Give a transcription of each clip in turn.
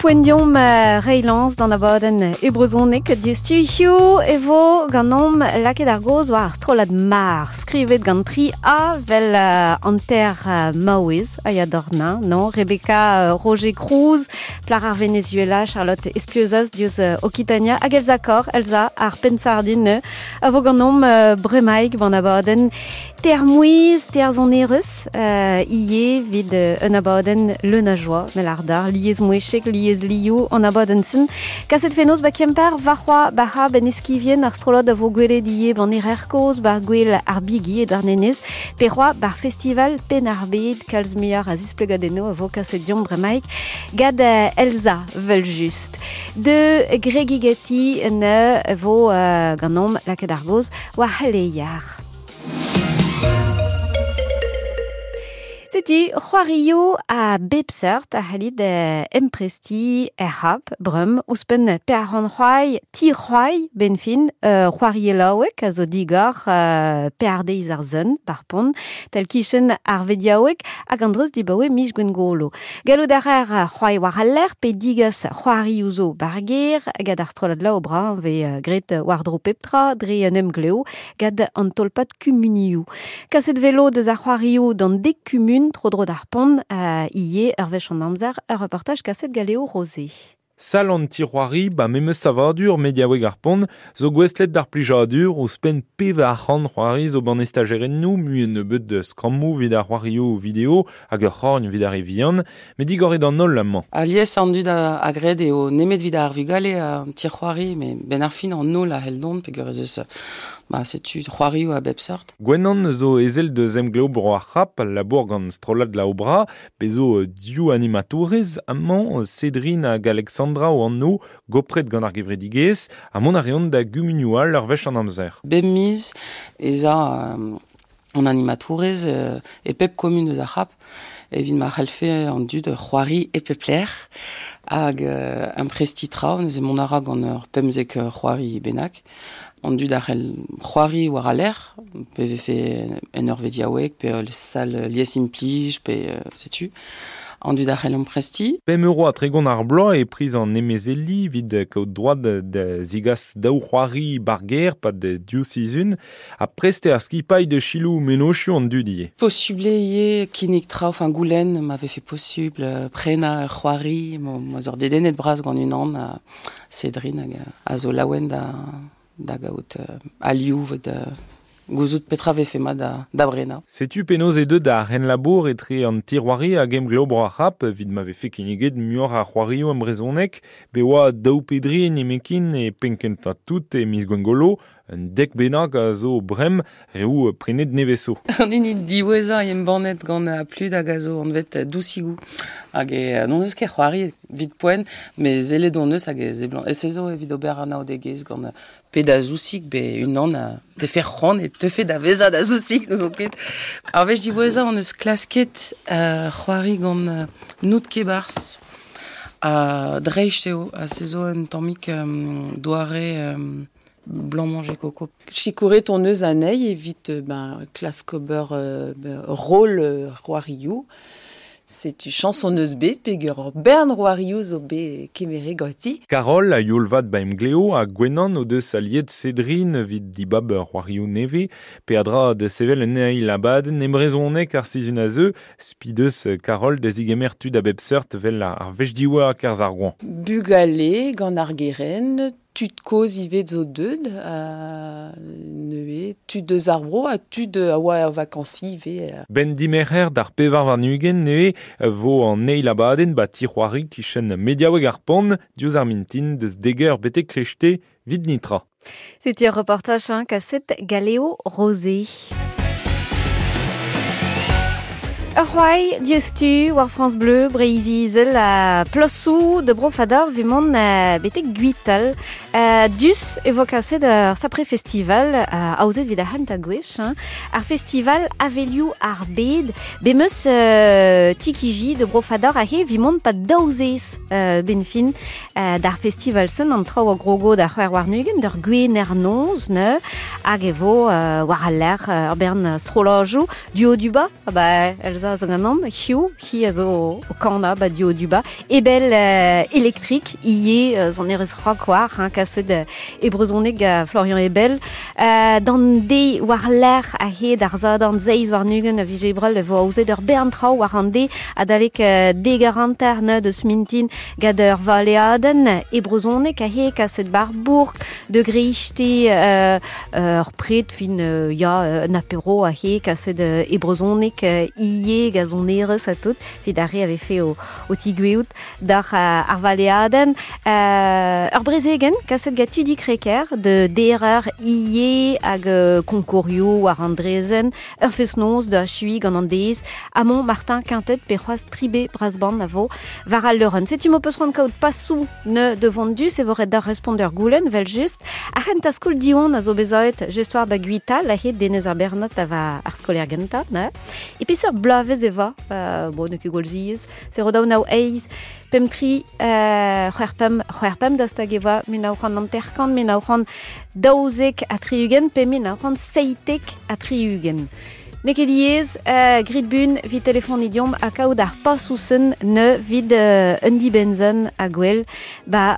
Poent deomp reiñ lañs d'an abadenn e brezhoneg diouzhtu. Hiziv e vo ganeomp lakaet ar gaoz war ar strollad Mar, skrivet gant tri A 'vel hanter maouez a ya d'ornañ, non? Rebecca Roger Cruz, plac'h ar Venezuela, Charlotte Espieuzaz diouzh Okitania hag Elsa Kor, Elsa ar penn-sardin a vo ganeomp bremaik ban abadenn Termouiz, terzonerez, ivez evit un abadenn leun a joa, mel ar dar, liesmouezhek, lieslioù an abadenn-sen. Kaset fenoz ba Kemper, warc'hoazh ba ben eskivien ar strollad a vo gwelet ivez ban Erer Kozh, bar gwel ar Bigi e Douarnenez, pe c'hoazh bar festival Penn-ar-Bed, kalz muioc'h a zisplegadennoù a vo kaset deomp bremaik gant Elsa, 'vel-just. De gregigati ne vo ganeomp lakaet ar gaoz war c'heleier. Setu c'hoarioù a bep seurt a c'hallit emprestiñ er c'hab bremañ ouzhpenn pear c'hoari ti c'hoari benn fin c'hoarielaoueg a zo digor pear deiz ar sun par pont tal-kichen ar vediaoueg hag an dreuz dibaoe miz Gwengolo. Gallout a raer c'hoari war al lec'h pe digas c'hoarioù zo ba'r gêr gant ar strollad Laobrun vez graet war-dro pep tra dre un emglev gant an tolpad kumunioù. Kaset velo deus ar c'hoarioù d'an dek kumun tro-dro d'ar pont ivez ur wech an amzer, ur reportaj kaset gant Léo Rosé. Sal an ti-c'hoari ba memes savadur mediaoueg ar pont zo gouestlet d'ar plijadur ouzhpenn 400 c'hoari zo ban estajerennoù mui un nebeud skrammoù evit ar c'hoarioù video hag ur c'horn evit ar re vihan met digoret an holl amañ. Alies an dud a gred eo nemet evit ar vugale an ti-c'hoari met benn ar fin an holl a c'hell dont peogwir ez eus ba setu c'hoarioù a bep seurt. Gwennan zo ezel deus Emglev Bro ar C'hap, labour gant strollad Laobra, bez zo div animatourez amañ, Cédrine hag Alexandra o anv, gopret gant ar gevredigezh, ha mont a reont da gumunioù all ur wech an amzer. Bep miz ez a an animatourez e pep kumun eus ar C'hap evit ma c'hallfe an dud c'hoari e pep lec'h hag amprestiñ traoù. Neuze mont a ra gant ur 15 c'hoari bennak. An dud a c'hell c'hoari war al lec'h, pe vefe en ur vediaoueg, pe ul sal liesimplij, pe setu. An dud a c'hell amprestiñ. 5 euro ha 30 ar bloaz e priz an emezeliñ evit kaout droad da zigas daou c'hoari ba'r gêr 'pad div sizhun ha prest eo ar skipailh da selaou mennozhioù an dud ivez. Posubl eo ivez kinnig traoù, enfin goulenn ma vefe posubl prenañ ur c'hoari, ma 'z oc'h dedennet bras gant unan. Cédrine hag a zo laouen da, da gaout alioù evit gouzout petra vefe mat da, da brenañ. Setu penaos eo deuet ar c'henlabour etre an ti-c'hoari hag Emglev Bro ar C'hap evit ma vefe kinniget muioc'h a c'hoarioù en brezhoneg. Bet oa daou pe dri nemetken e penn-kentañ tout e miz Gwengolo. Un dek bennak a zo brem reoù prenet nevez zo. An hini diwezhañ embannet gant Plud hag a zo anvet Dousigoù. Hag e n'hon eus ket c'hoari evit poent, met sellet hon eus hag e seblant. E se zo evit ober anaoudegezh gant pe da zousig pe unan a tefe c'hoant e teufe da vezañ da zousig, n'ouzon ket. Ar wech diwezhañ hon eus klasket c'hoari gant Nout Kebarzh. Ha dreist eo, ha se zo un tammig doare Blanc-manger coco. Sikouret hon eus anezhi evit ben, klask ober roll c'hoarioù. Setu chañs hon eus bet peogwir ur bern c'hoarioù zo bet kemeret ganti. Carole a youl vat ba Emgleo ha Gwenan o deus aliet Cédrine evit dibab c'hoarioù nevez. Peadra da sevel un eil abadenn e brezhoneg ar sizhun a zeu. Spi deus Carole da zigemer tud a bep seurt 'vel ar wech diwezhañ 'kerzh ar goañv. Bugale gant ar gerent, tud kozh ivez zo deuet neuze, tud eus ar vro ha tud a oa er vakañsiñ ivez. Benn dimerc'her d'ar 24 neuze vo an eil abadenn 'ba ti-c'hoari kichen mediaoueg ar Pont diouzh ar mintin deus dek eur betek krechte 'vit netra. Setu ur reportaj hein, kaset Galéo Rosé. Ur c'hoari diouzhtu war France Bleu Breizh-Izel ha plasoù da Bro-Fador evit mont betek Gwital. Dus e vo kaset ur sapre festival aozet evit ar c'hentañ gwech. Hein. Ar festival Avelioù ar Bed. Bet 'meus Tikiji de Bro-Fador aze evit mont 'pad daou zez benn fin d'ar festival-sen an traoù a grogo da c'hwec'h warn-ugent d'ur gwener noz ne hag e vo war al lec'h ur bern strollajoù duo duba ah bah Elsa Elsa a zo ganeomp, hiziv, hi a zo o kanañ ba Duo Duba, Ebel Electric, ivez sonerezh rock war, hein, kaset e brezhoneg gant Florian Ebel. D'an deiz war-lerc'h a-hed ar Sadorn 27 a viz Ebrel e vo aozet ur bern traoù war an deiz adalek dek eur hanter neud eus mintin gant ur valeadenn e brezhoneg aze kaset bar bourk de greiste ur pred fin ya un apéro aze kaset e brezhoneg ivez gant sonerezh ha tout evit ar re a vefe o, o tigoueout d'ar ar valeadenn. Ur brezegenn kaset gant Tudi Kreker de derer ivez hag konkourioù war an drezenn, ur fest-noz da achuiñ gant an deiz. Amon Martin Quintet pe c'hoazh Tribe Brasband a vo war al leurenn. Setu m'ho peus c'hoant kaout pasoù ne de vont-du, se vo ret d'ar respont ur goulenn, vel just. Ar c'hentañ skol Diwan a zo bezaet just war ba Gwital, a-hed Denez ar Bernot a va ar skolaer gentañ, ne. E peseurt bloavezh e va, bon, n'eo ket gwall ziaes, 0 2 9 8 5 3 c'hwec'h pemp c'hwec'h pemp daoust hag e voa 1950, 1972 pe 1977. N'eo ket diaes, grit bun 'vit telefoniñ deomp ha kaout ar pasoù-sen ne 'vit un dibenn-sen ha gwell ba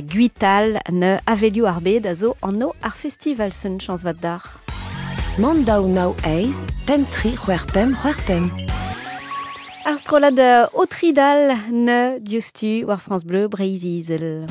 Gwital ne avelioù ar bed a zo anv ar festival-sen chañs vat deoc'h. Mann daou nav eizh pemp tri c'hwec'h pemp c'hwec'h pemp. Ar strollad o tridal ne diouzhtu war France Bleu Breizh-Izel.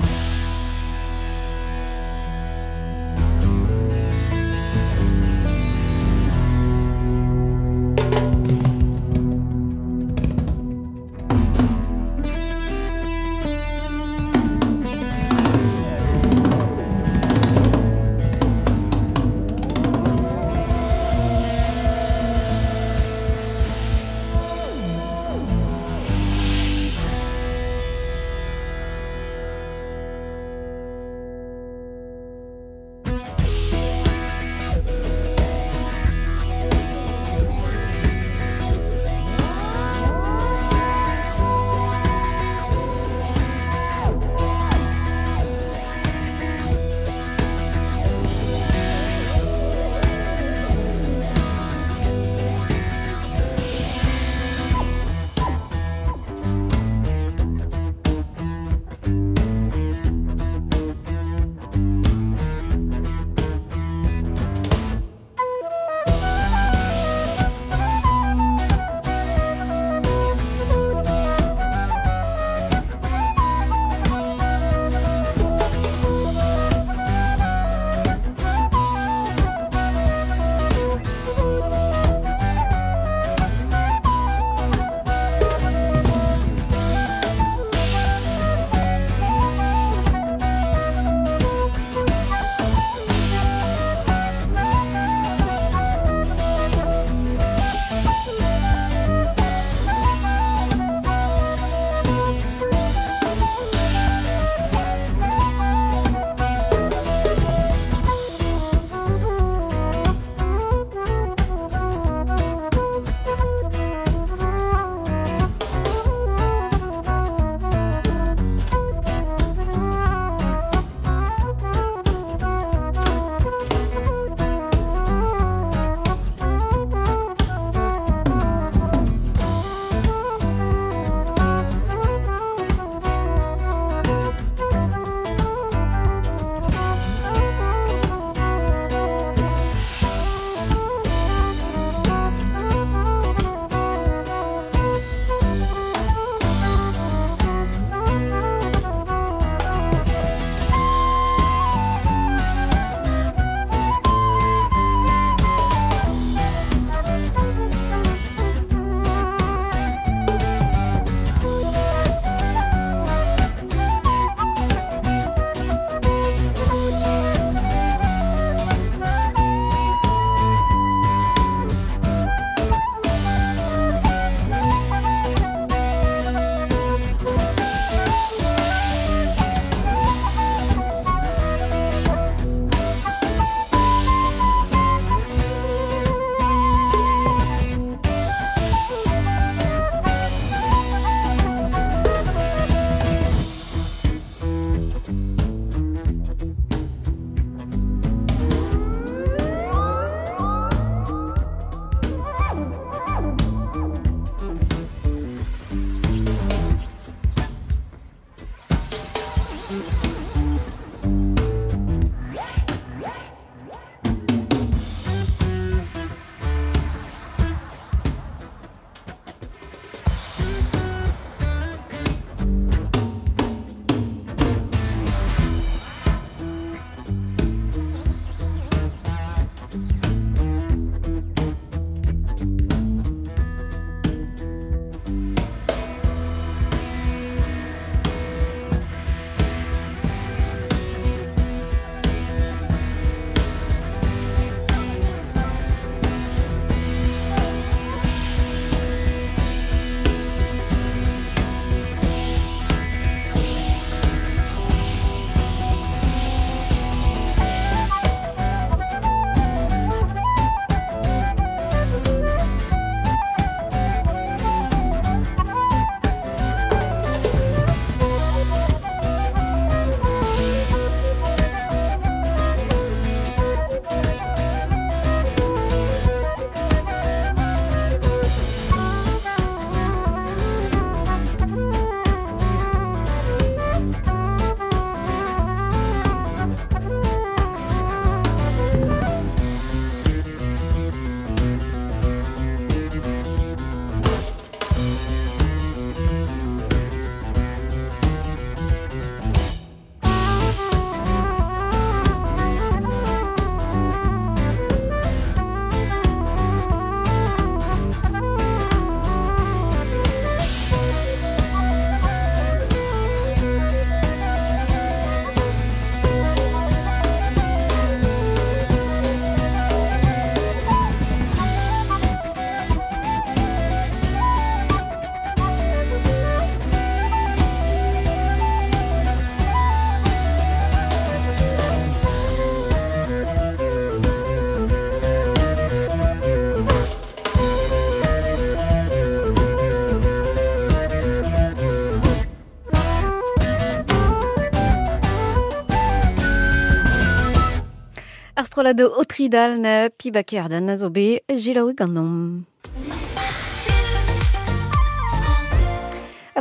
strollad Otridal na piba kerden a zo be jilaoui ganom.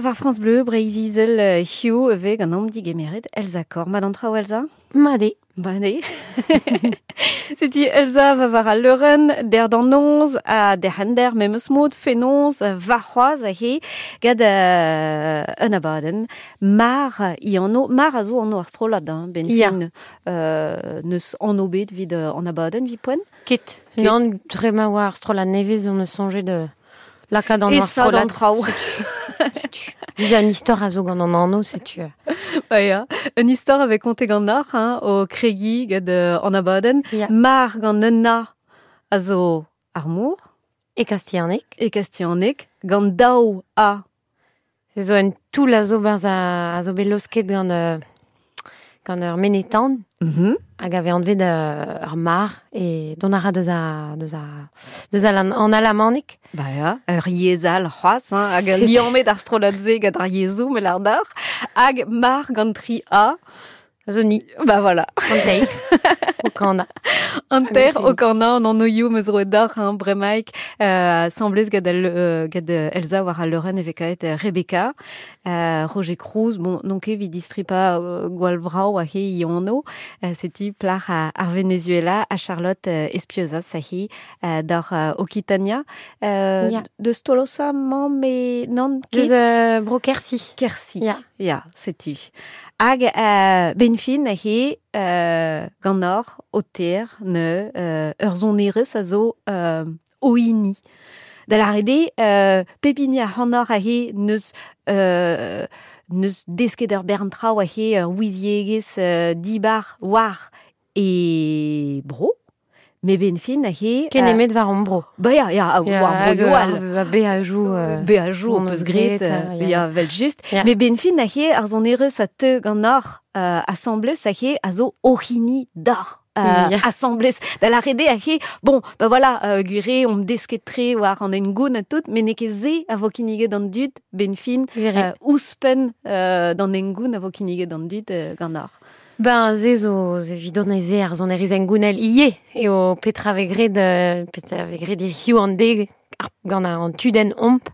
War France Bleu, Breiz-Izel hiu ve ganom digemeret Elsa Kor. Mad an traoù Elsa? Made. Bane. Setu Elsa va war al leurenn, der d'an noz, a der hender memes mod, fenoz, va c'hoaz a he, gad un abadenn, mar i anno, mar a zo anno ar strollad, hein, ben Ya. fin, neus anno bet vid an abadenn, vi poen? Ket. Ket. Non, dre ma oa ar strollad nevez, on eus soñjet de lakaat an E ar sa d'an strollad. traoù. Setu. Déjà un istor a zo gant an anno, setu. Ba ya, un istor avec konte gant ar, hein, o kregi gad an abadenn. Ya. Mar gant un a a zo ar mour. E Kastianek. E Kastianek, gant daou a. Se zo un toull a zo barz a zo bet losket gant, gant ur menetan. Hag ave anvet ur mar e don a ra deus a, deus a, deus a lan, an alamanek. Ba ya, ur yezhal c'hoazh, hein, hag C'est- liammet ar strollad-se gant ar yezhoù, mel ar d'ar. Hag mar gant tri a. A zo ni. Ba voilà. An teir. O kana. An ter Ah, o kana an annoioù meus roet d'ar, hein, bremaik, semblez gad al, gad Elsa war al leurenn evekaet Rebecca, Roger Cruz, bon, non ket vi distripa gwall brao a he i anno, seti plar a, ar Venezuela, a Charlotte Espiosa, sa he, d'ar Occitania, Ya. deus Tolosa, mamm e nan ket? Deus bro Kersi. Kersi. Ya. Ya, setu. Hag ben fin he gant ar o ter ne ur zonerez a zo oini. Da la rede, pepini a hanor a he neus, neus desket ur bern traoù a he ur ouiziegez dibar war e bro. Me ben fin a he... Ken emet war an bro. Ba ya, ya, a, Ya, war bro hag, yoal. ar be a jou... Be a jou, on peus eus gret, gret, ya. ya, vel just. Ya. Me ben fin a he ar zonerez a teu gant ar assemblez a he a zo ohini d'ar. Ya. Assemblez da la rede a he bon ba voilà gure on desket tre war an engoun a tout mais ne ket ze a vo kinniget an dud ben fin Gure. ouzhpenn d'an engoun a vo kinniget an dud gant ar. Ben, ze zo, ze vidon e ze ar zonerez engounel ie, e o petra ve gret, petra ve gret hiziv an deg, ar, gant an tudenn omp,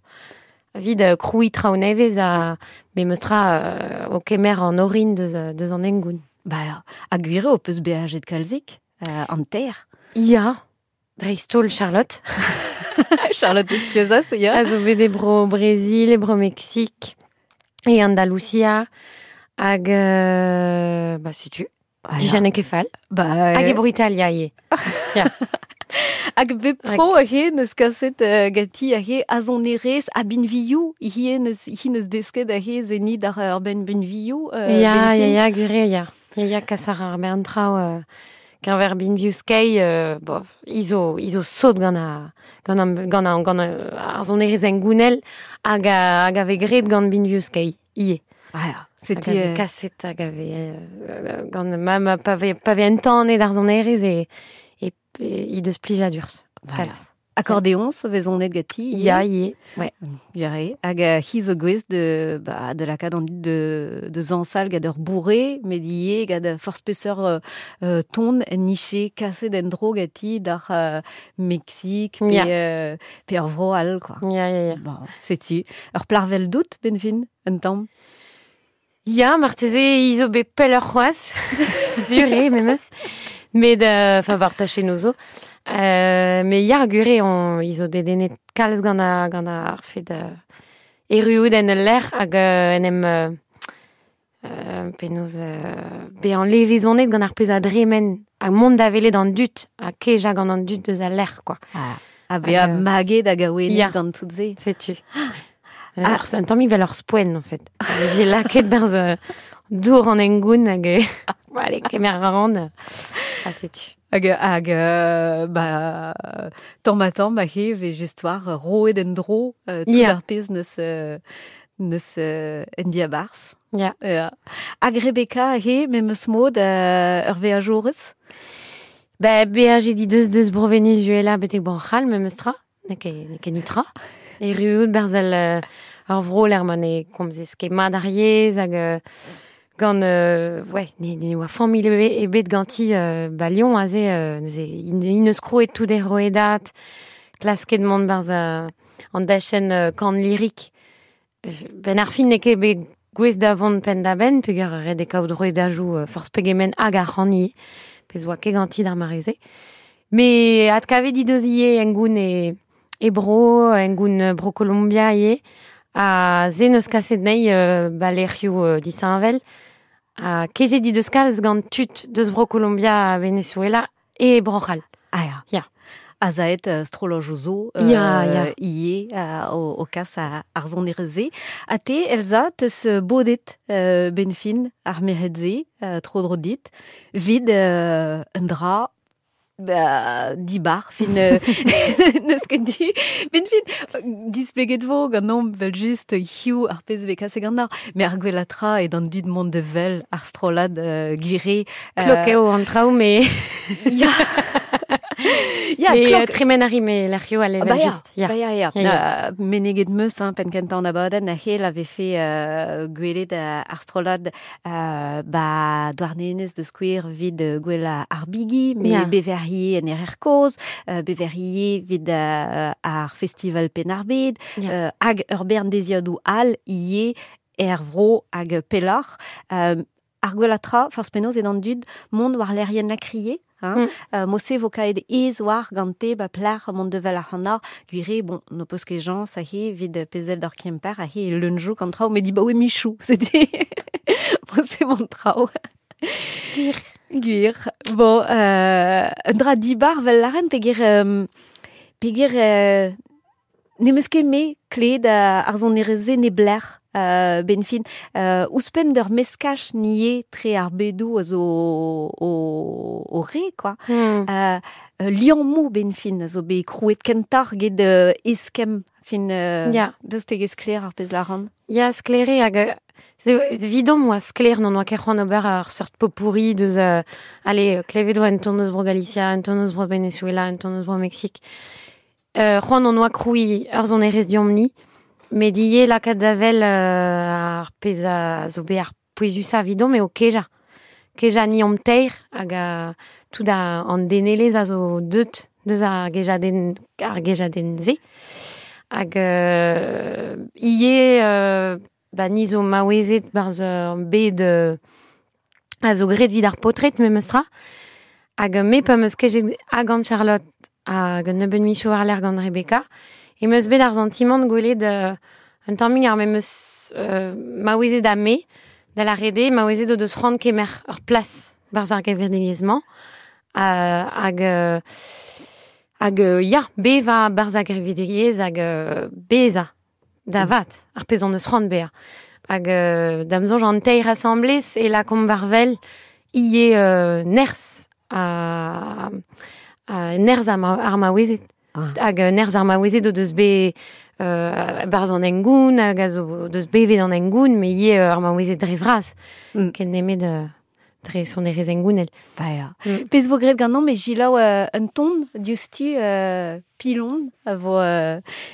vid kroui traoù nevez a be meustra o kemer an orin deus, deus an engoun. Ba, a gwire o peus beajet kalzik, an ter. Ya, dreist-holl Charlotte. Charlotte Espiosa, se ya. A zo bet e bro Brésil, e bro Mexique, e Andalusia, hag... ba, setu, Ah, ya. Dijane kefal. Ba, Hag e bro Italia ie. Hag bep tro a he neus kaset gati a he azonerez a binvioù hi neus, hi neus desket a he zeni d'ar ur ben binvioù. Ya, ben ya, fin. ya, gure, ya. Ya, ya, kas ar ar bern traoù, keñver binvioù skei, bof, izo, izo sot gant a, gant an, gant an, gant ar zonerez engounel hag a, hag a ve gret gant binvioù skei, ie. Ah, ya, Hag c'était... a ve kaset, hag a ve, gant ma, ma, pa ve, pa ve entanet ar zonerez e, e, e, i deus plijadur. Voilà. Kalz. Accordéon, vezonet gati. Ya, ie, ouais. Yare. Hag hi zo gwez de, ba, de la kad an dud de, de zansal gad ur bourré, met ie gad forz peseurt ton en niche kaset en dro gati d'ar Mexique, pe, Ya. pe ur vro all, quoi. Ya, ya, ya. Bon, setu. Ur plarvel dout, ben fin, un tamm. Ya, marteze izo bet pell ur c'hoazh, sur eo, memes. Met, enfin, war tachennoù zo. Me ya, gure, on, izo dedennet kalz gant a, gant ar fed erruout en ul lec'h hag en em... penaos bezañ levezonet gant ar pezh a dremen hag mont da welet an dud ha kejañ gant an dud deus al lec'h, quoi. Ah, ha bezañ Hag, maget hag awenet Ya. gant tout se. Setu. Un tammig vel ur spoen, en fait. J'ai laket berz dour an engoun hag bon, allez, kemer a ran. Ah, setu. Hag, hag ba, tamm ha tamm a he ve just war roet en dro tout Ya. ar pezh neus, neus en diabarzh. Ya. Ya. Hag Rebecca he memes mod ur veajourez? Ba, beajet di deus deus bro Venezuela betek bon c'hall memes tra. Ne ket, ne ket nitra. Erruout berz al ur vro l'er ma ne komzez ket mat ar yezh hag Gant, ouais, ne oa familh ebet ganti ba Lyon aze, neuze, in eus krouet tout e roedat, klasket mont barz an dachenn kan lirik. Ben ar fin n'eo ket bet gouez da vont penn da benn, peogwir ret eo kaout roedajoù forzh pegement hag ar c'han ivez, pezh oa ket ganti d'ar mare-se. Me adkavet he deus ivez engoun e bro, engoun bro Kolombia ivez, ha se n'eus kaset anezhi ba lec'hioù disheñvel. Ha kejet he deus kalz gant tud deus bro Kolombia ha Venezuela e Bro-C'hall. Ah ya. Ya. Azaet strollojoù zo Ya, ya. ivez o kas ar sonerezh-se. Ha te, Elsa, teus bodet ben fin ar merc'hed-se tro-dro dit, vid un dra ba, dibar, fin n'eus ket du. Ben fin, displeget vo ganeomp vel just hiziv ar pezh vez kaset ganeoc'h, met ar gwellañ tra eo d'an dud mont da wel ar strollad gwire. Klok eo an traoù, me... Ya. Ya, Mais, klok. tremen a ri me lec'hioù all evel Bah ya, just. Ya. bah ya, ya. Ya, ya. Meneget meus, hein, penn kentañ an abadenn, a c'hell a vefe gwelet ar strollad ba Douarnenez de skouer vid gwell ar bigi, me Ya. beverrier en erer kozh, beverrier vid ar festival Penn-ar-Bed, Ya. hag ur bern deziadoù all ivez er vro hag pelloc'h. Ar gwellañ tra, forzh penaos eo d'an dud mont war lec'hienn la criée, hein. Mose vo kaet ez war gante ba plac'h mont devel ar c'hanor, gwire, bon, no peus ket jañs a he vid pezel d'ar Kemper a he leunjoù gant traoù, met di ba oe michou, c'était mose mont traoù. Gwir. Gwir. Bon, un dra dibar vel laren peogwir peogwir ne meus ket me kleet ar sonerezh-se ne blec'h ben fin. Ouzhpenn d'ur meskaj nie tre ar bedoù a zo o re, quoi. Liammoù ben fin a zo bet krouet kentoc'h get eskemm fin Ya. deus tegez sklaer ar pezh laran. Ya, sklaer hag ze vidom oa sklaer n'on oa ket c'hoant ober ar seurt pot-pourri deus allez, klevet oa un ton eus bro Galicia, un ton eus bro Venezuela, un ton eus bro Mexique. C'hoant on oa krouiñ ur sonerezh diomp-ni, met ivez lakaat da wel ar pezh a zo bet ar pouezusañ evidomp eo kejañ. Kejañ ni omp teir hag tout an denelezh a zo deut deus ar gejadenn, ar gejadenn-se. Hag ivez ba ni zo maouezet barzh ur bed a zo graet evit ar paotred memes tra. Hag me pa 'm eus kejet hag gant Charlotte hag un nebeud michoù war-lerc'h gant Rebecca, e 'm eus bet ar santimant gwelet un tammig ar memes maouezet ha me, da la rede, maouezet o deus c'hoant kemer ur plas barzh ar gevredigezh-mañ. Hag ya, bevañ barzh ar gevredigezh hag bezañ da vat, ar pezh hon eus c'hoant bezañ. Hag da'm soñj an teir asamblez e lakaomp war wel ivez nerzh ha nerzh ar maouezed. Ah. Hag nerzh ar maouezed o deus bet barzh an hengoun, hag a zo o deus bevet an hengoun, met ivez ar maouezed dre vras. Ken nemet dre sonerezh hengounel. Ba ya. Mm. Pezh vo graet ganeomp e gilaou un ton diouzhtu pilon a vo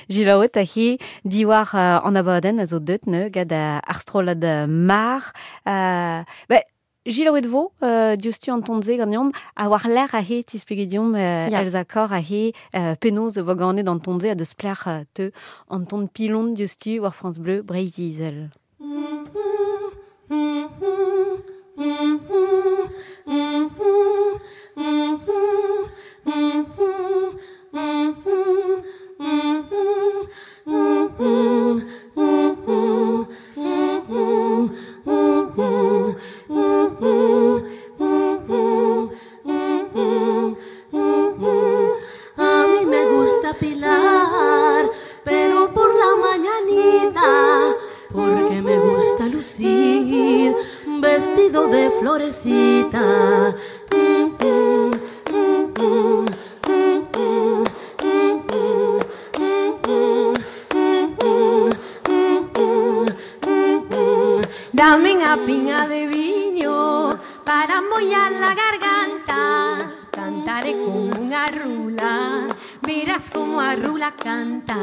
gilaouet a he diwar an abadenn a zo deut ne gant ar strollad Mar. Ba, gilaouet vo diouzhtu an ton-se ganeomp a war lec'h a he tispleget deomp Ya. Elsa Corr a he penaos e vo ganet an ton-se a deus plec'h teu an ton pilon diouzhtu war France Bleu Breizh-Izel. A mí me gusta pilar, pero por la mañanita, porque me gusta lucir vestido de florecita. Dame unha piña de viño para mollar la garganta. Cantaré como unha rula, verás como a rula canta.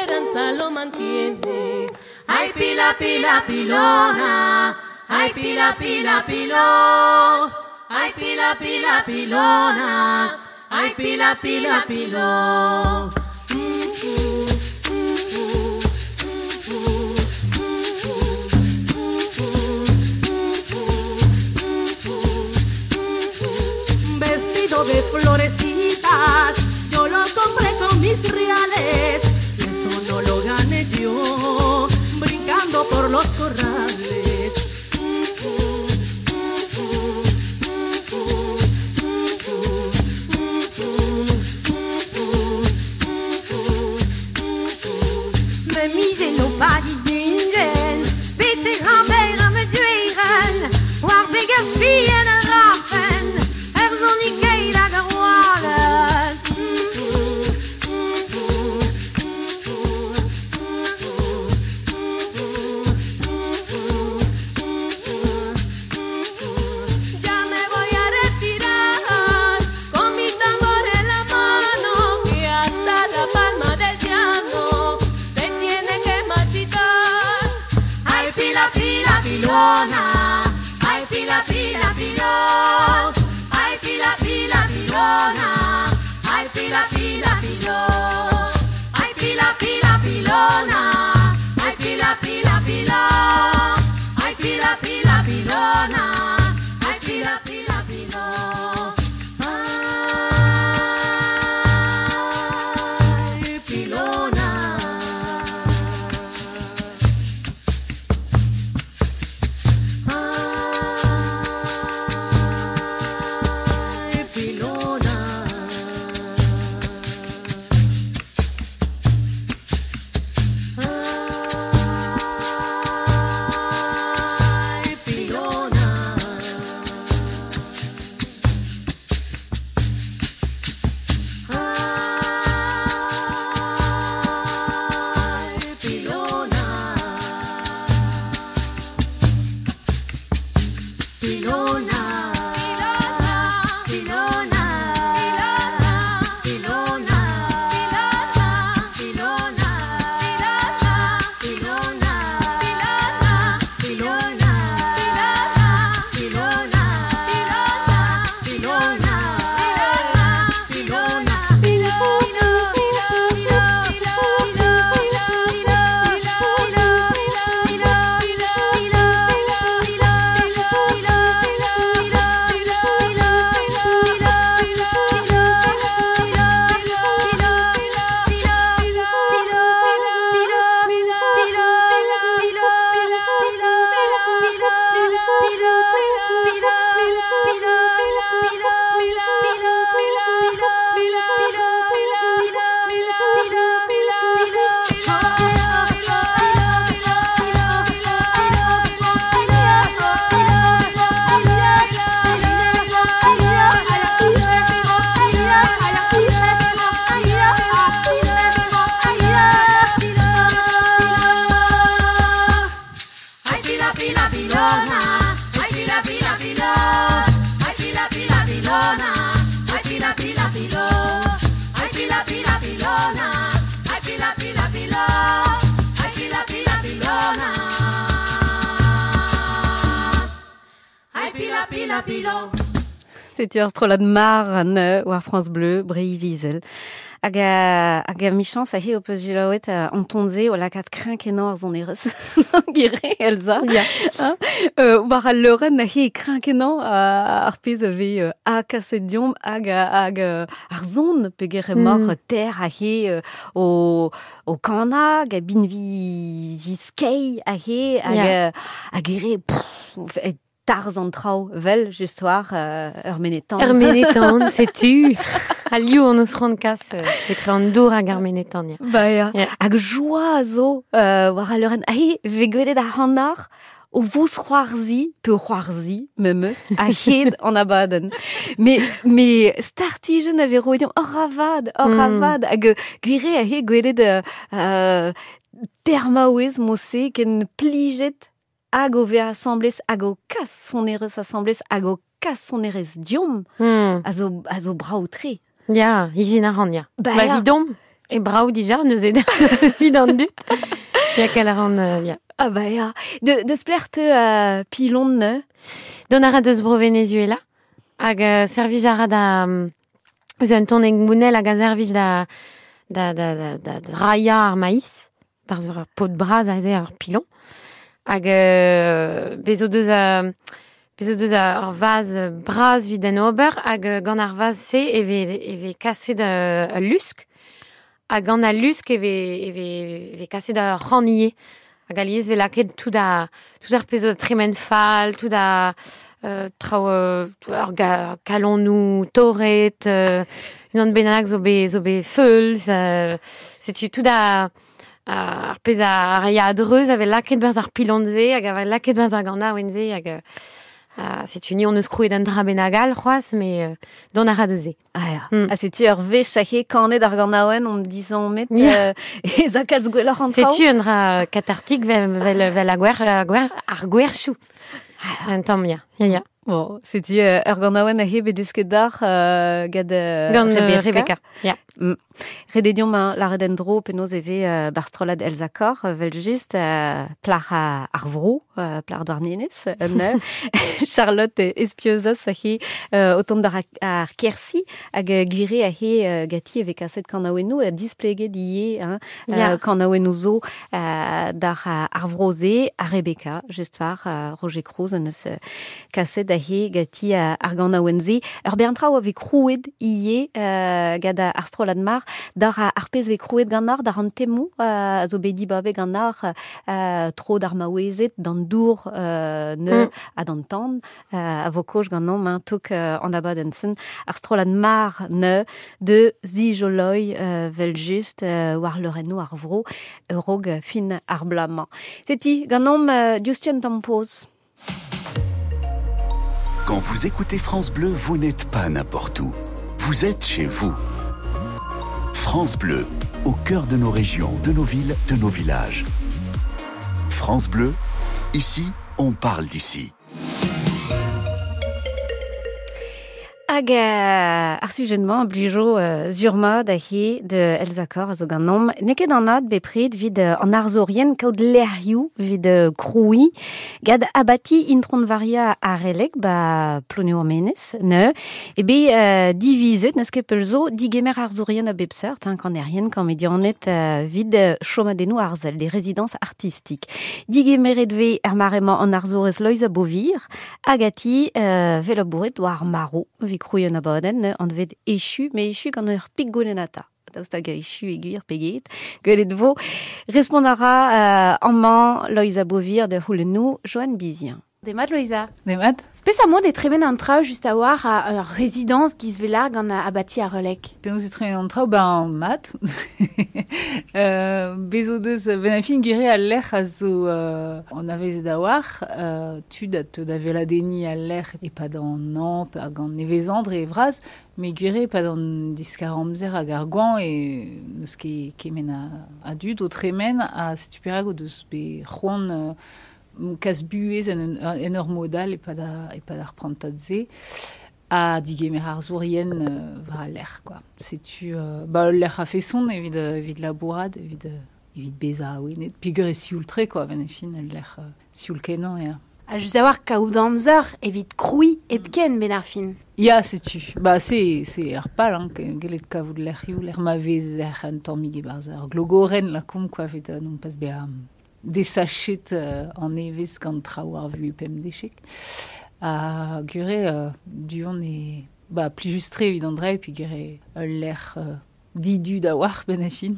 esperanza lo mantiene. Ay, pila, pila, pilona, ay, pila, pila, piló, ay, pila, pila, pilona, ay, pila, pila, piló. Vestido de florecitas, yo lo compré con mis reales, y eso no lo gané yo, brincando por los corrales. Me mise lo padi d'ungen, bete grand-mère me dueren, war beger fien a rafen, er zonik eil hag ar oalen. Ya me voy a retirar con mi tambor en la mano, que hasta la palma del llano se tiene que marchitar. Ay, pila, pila, pilona, ay, pila, pila, pilón, ay, pila, pila, pilona, ay, pila, pila, pilón, ay, pila, pila, pilona, ay, pila, pila, pilón, ay, pila, pila, pilona, ay, pila, pila, pilón. Ay, pilona. Ay, pilona. Ay, pilona. Ay, pilona. Pilona. Pilona. Pilona. Pilona. Pilona. Pilona. Pilona. Pilona. Pilona. Ay, pila, pila, pilona. Ay, pila, pila, pilón. Ay, pila, pila, pilona. Ay, pila, pila, pilón. Ay, pila, pila, pilona. Ay, pila, pila, pilón. Ay, pila, pila, pilona. Ay, pila, pila, pilón. Setu ar strollad mar an war France Bleu, Breizh Izel. Hag a, hag a michans a he o peus jilaouet an tonze o lakaat krinkenañ ar zonerez. Gire, Elsa. Ya. Hein? War al leurenn a he krinkenañ ar pezh a ve a kaset diomp hag, hag ar zon peger emañ ter a he o kana hag a binvi skei a he hag, Ya. hag ere pff, e tarz an traoù vel just war ur menetan. Ur menetan, setu. A liou an eus c'hoant kas, etre an dour hag ar menetan, ya. Ba ya. Ya. Hag joa zo war al leurenn. A he ve gwelet ar hannar o vous c'hoarzi, pe o c'hoarzi, memeus, a hed an abadenn. Me startijen a ve roet deomp, ur ravad, ur ravad, hag gwire a he gwelet termaouez mose ken plijet hag o ve asamblez, hag o kas sonerez asamblez, hag o kas sonerez diomp, a zo brao tre. Ya, ijin a ran, ya. Ba Ba ya. vidomp, E brau dija, neuze vid an dut. Ya kalaran, ya. Ah ba ya. De splert pilon ne? Don ara deus bro Venezuela. Hag servij ara da... Eus un ton engounel hag a servij da da da da da draia ar maïs par ur pot bras a ze ar pilon. Hag bezo deus bezo deus ur vaz bras vid an ober hag gant ar vaz se e ve kaset ul lusk. Hag gant al lusk e ve kaset ur c'hanier. Hag alies ve laket tout a tout ar pezo tremen fall, tout a traoù ur kalonou torret, unan bennak zo be feulz, setu tout a ar pezh a ya adreuz ave laket berzh ar pilon-se hag ave laket berzh ar ganaouenn-se hag setu ni on eus krouet an dra bennak all c'hoazh, mais don a ra deus se. Ah ya. Ha setu ur wech ahe kanet ar ganaouenn on dizan met e zakalz gwelloc'h an traoù. Setu un dra katartik vel ar gwerchou. Un tamm, ya. Ya, ya. Bon, setu ur ganaouenn ahe bet desket d'ar gant Rebecca. Rebecca. Ya. Rededion ma lâret en-dro penaos e vez bar strollad Elsa Kor, vel just plac'h ar vro, plac'h Douarnenez, Charlotte Espieuzas ahe o tont d'ar ar Kersi hag gwire ahe gati e vez kaset kanaouennoù displeget ivez hein, kanaouennoù zo d'ar ar vro-se a Rebecca, just war Roger Cruz en eus kaset ahe gati ar ganaouenn-se. Ur bern traoù a vez krouet ivez gant ar strollad mar d'ar ar pezh vez krouet gant ar d'ar an temoù a zo bet dibabet gant ar tro d'ar maouezed d'an dour ne ha d'an tan a vo koj gant nomp hein, tok an abadenn-sen ar strollad mar ne de zijoloi vel just war leurennoù ar vro rog fin ar blamañ. Seti gant nomp diouzhtu un tamm poz. Quand vous écoutez France Bleu, vous n'êtes pas n'importe où. Vous êtes chez vous. France Bleu, au cœur de nos régions, de nos villes, de nos villages. France Bleu, ici, on parle d'ici. Hag ar sujet-mañ blijo zurma da he de Elsa Kor a zo gant nomp. N'eo ket an ad bepred vid an arzorien kaout lec'hioù vid kroui gad abati intron varia arelek ba Ploneour-Menez ne e be divizet neus ket peul zo digemer arzorien a bep seurt hein, kanerien kamedianet vid chomadennoù arzel des résidences artistiques. Digemeret ve er maremañ an arzorez Loeiza Beauvir agati velabouret war maro vi kroui an abadenn an vet echu, mais echu gant ur pik golenata. Daoust hag echu e gwir peget. Gwelet vo. Respont a ra amañ Loeiza Beauvir de c'houlennoù Joanne Bizien. Demat Loeiza. Demat. Pes a mod e tremen an traoù just a war a résidence giz velar gant abati ar relek. Penaos e tremen an traoù, ben mat. Bezo deus ben a fin gwire al lec'h a zo an avezet a war, tud a te da veladeni al lec'h e pad an an, hag an evezandre e vraz, me gwire pad an diskar amzer hag ar gwan e neus ket kemen a dud o tremen a setu perak o deus be c'hoant kas buhez en ur modal e pad ar prantad se a digemer ar zourien war al lec'h quoi. Setu ba ul lec'h a feson evit labourad evit beza a-wenet peogwir e sioul-tre quoi ben e fin ul lec'h sioul kenañ ya. A just a war kaout amzer evit kroui hepken ben ar fin. Ya, setu. Ba, c'est ar pal, hein, gellet kavout lec'hioù, lec'h ma vez ec'h un tammig e-barzh ar glogorenn lakomp quoi, evit non pas bezañ desachet an evez gant traoù ar vu pemdechek. A gure du-hont e ba plijus-tre evit an dra, puis gure ul lec'h didu da war ben a fin.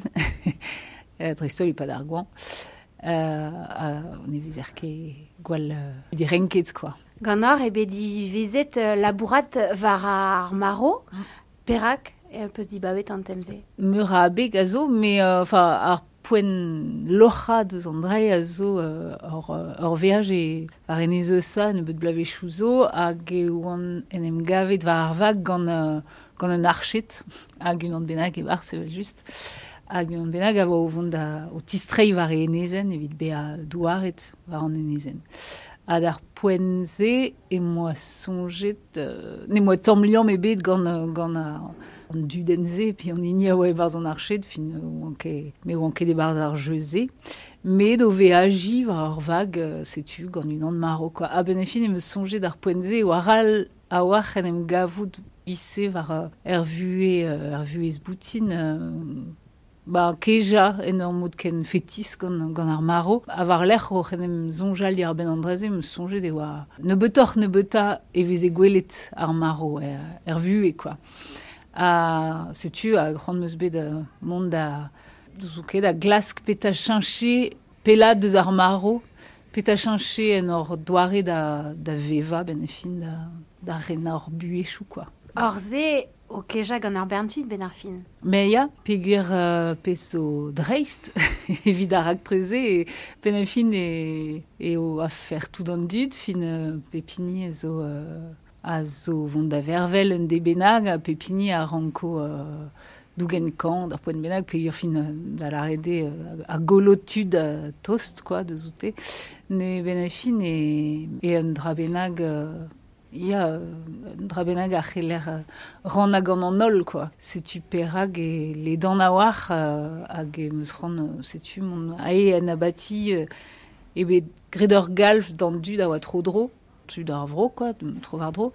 Dreist-holl e pad ar gwan. On evez er ket gwall direnket quoi. Gant ar e bet divezet labourat war ar maro, perak peus dibabet an temze. Meur a abeg a zo, mais enfin ar poent loc'ha deus an dra a zo ur veaj e war enez eus a nebeut blavezhioù zo hag e oan en em gavet war ar vag gant un arched hag unan bennak e-barzh evel just hag unan bennak a oa o vont da o tistreiñ war e enezenn evit bezañ douaret war an enezenn. Ha d'ar poent-se e moa soñjet ne moa tamm liamm ebet gant an dudenn-se, pi an hini a oa e-barzh an arched, fin oan ket, me oan ket e-barzh ar jeu-se. Met o veajiñ war ur vag, setu, gant unan marv, quoi. A-benn ar fin em eus soñjet d'ar poent-se e oa ral a-walc'h en em gavout ise war er vuhez, er vuhez boutin, ba, kejañ en ur mod ken fetis gant, gant ar marv. Ha war-lerc'h oc'h en em soñjal diwar-benn an dra-se, em eus soñjet e oa nebeutoc'h-nebeutañ e veze gwelet ar marv er, er vuhez, quoi. Ha setu, ha c'hoant 'm eus bet mont da, zo ket, da glask petra cheñche pellaat deus ar marv, petra cheñche en hor doare da, da vevañ, benn ar fin, da, da renañ hor buhezioù, quoi. Hor se o kejañ gant ar bern tud benn ar fin. Mais ya, peogwir pezh zo dreist evit ar raktres-se, e benn ar fin e, eo afer tout an dud, fin pep hini a zo, a zo vont da vervel un deiz bennak, ha pep hini a ranko dougen kañv d'ur poent bennak, peogwir fin da lâret eo a gollo tud tost quoi deus oute. Ne benn ar fin e, e un dra bennak Ya, un dra bennak a c'heller rannañ gant an holl, quoi. Setu perak e ledan a-walc'h hag em eus c'hoant, setu mont ae en abati eo bet graet ur galv d'an dud a oa tro-dro, tud ar vro, quoi, tro-war-dro,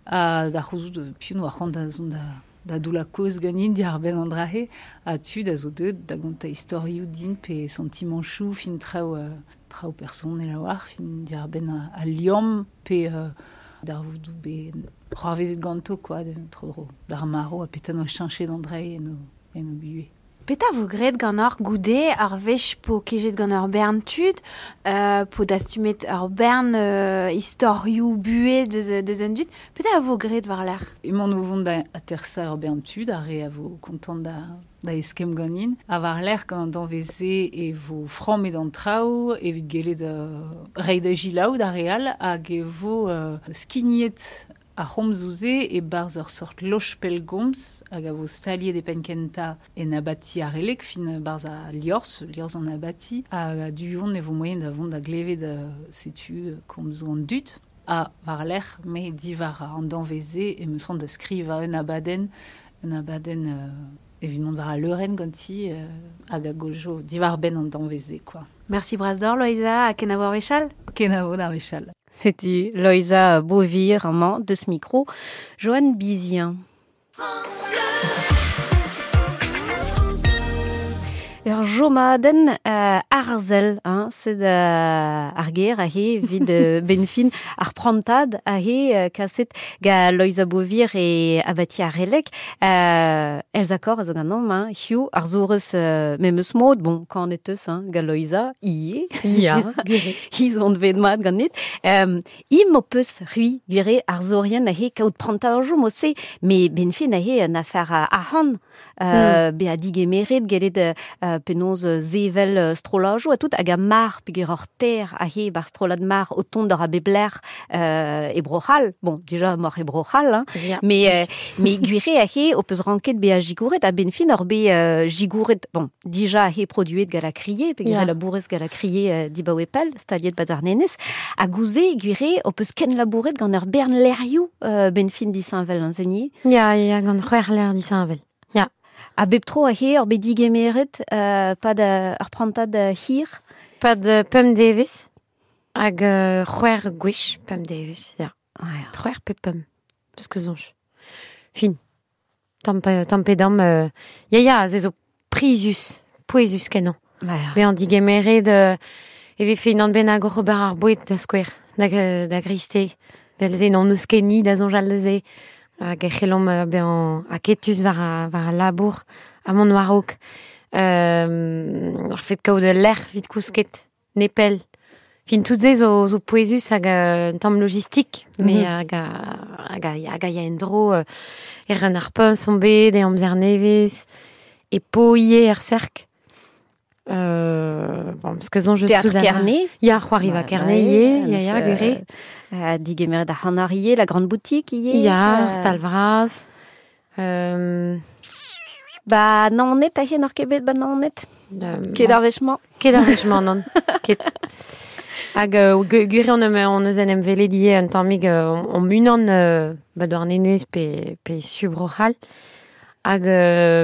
ha da c'houzout piv 'noa c'hoant da zont da doullañ kaoz ganin diwar-benn an dra-se, ha tud a zo deuet da gontañ istorioù din pe santimanchoù, fin traoù traoù personel a-walc'h, fin diwar-benn al liamm pe darvoudoù bet c'hoarvezet ganto quoi, tro-dro d'ar marv ha petra 'noa cheñchet an dra en o, en o buhez. Petra vo graet ganeoc'h goude ar wech po kejet gant ur bern tud, po dastumet ur bern istorioù buhez deus, deus an dud, petra a vo graet war-lerc'h? Emaon o vont da atersañ ur bern tud, ar re a vo kontant da, da eskemm ganin. Ha war-lerc'h gant an danvez-se e vo frammet an traoù evit gellet reiñ da selaou d'ar re all hag e vo skignet ar c'homzoù-se e-barzh ur sort loch pellgomz hag a vo staliet e penn-kentañ en abati ar Releg, fin barzh al liorzh, liorzh an abati. Ha du-hont e vo moaien da vont da glevet setu komzoù an dud. Ha war-lerc'h, me diwar an danvez-se em eus c'hoant da skrivañ un abadenn, un abadenn evit mont war al leurenn ganti hag a gojo diwar-benn an danvez-se, quoi. Merci bras deoc'h, Loeiza, ha kenavo ar wech all. Kenavo d'ar wech all. Setu Loeiza Beauvir amañ deus mikro Joanne Bizien. Ur jomadenn arzel, hein, sed ar ger aze evit benn fin ar prantad aze kaset gant Loeiza Beauvir e abati ar Releg. Elsa Korr a zo ganeomp, hein, hiziv arzourez memes mod, bon, kanet eus hein, gant Loeiza, ivez. Ya, Hi zo anvet mat ganit. Im ho peus, c'hwi, gwir arzourien aze kaout prantajoù mod-se, met benn fin aze un afer arc'hant, bezañ digemeret, gellet penaos sevel strollajoù ha tout, hag a mar peogwir hor ter aze bar strollad mar o tont d'ar a bep lec'h e Bro-C'hall, bon, dija moc'h e Bro-C'hall, hein, mais, mais gwir eo aze ho peus ranket bezañ sikouret, ha benn fin hor bet sikouret, bon, dija aze produet gant la Criée, peogwir labourez gant la Criée dibaoe pell, staliet ba Douarnenez, ha gouze, gwir eo, ho peus kenlabouret gant ur bern lec'hioù benn fin disheñvel, hein, Zeni? Ya, ya, gant c'hwec'h lec'h disheñvel, ya. Ha bep tro aze ur bet digemeret pad ur prantad hir? Pad pemp devezh, hag c'hwec'h gwech pemp devezh, ya. C'hwec'h pe pemp, peus ket soñj. Fin. Tamm pe, tamm pe damm, ya, ya, se zo prizus, pouezus kenañ. Bezañ digemeret e vefe unan bennak oc'h ober ar boued da skouer, da, da greisteiz. Vel-se n'hon eus ket ni da soñjal da se. Hag e c'hellomp bezañ aketus war, war al labour ha mont war-raok. Ar fet kaout ul lec'h evit kousket, nepell. Fin tout se zo, zo pouezus hag un tamm logistik, mais hag a, hag a, hag a ya en-dro e ren ar puñs on bet, e amzer nevez, e po ivez er serk. Bon, parce que soñj eus Teatr soudain. Kerne. Ya, c'hoariva Kerne ivez, ya, ya, gwir eo. Digemeret ar c'hanar ivez, la grande boutique ivez. Ya, stal vras. Ba Naoned, aze n'oc'h ket bet ba Naoned? Ket ar wech-mañ. Ket ar wech-mañ, nann. Ket. Hag gwir eo on eus en em welet ivez un tammig omp unan ba Douarnenez pe, pe su Bro-C'hall. Hag,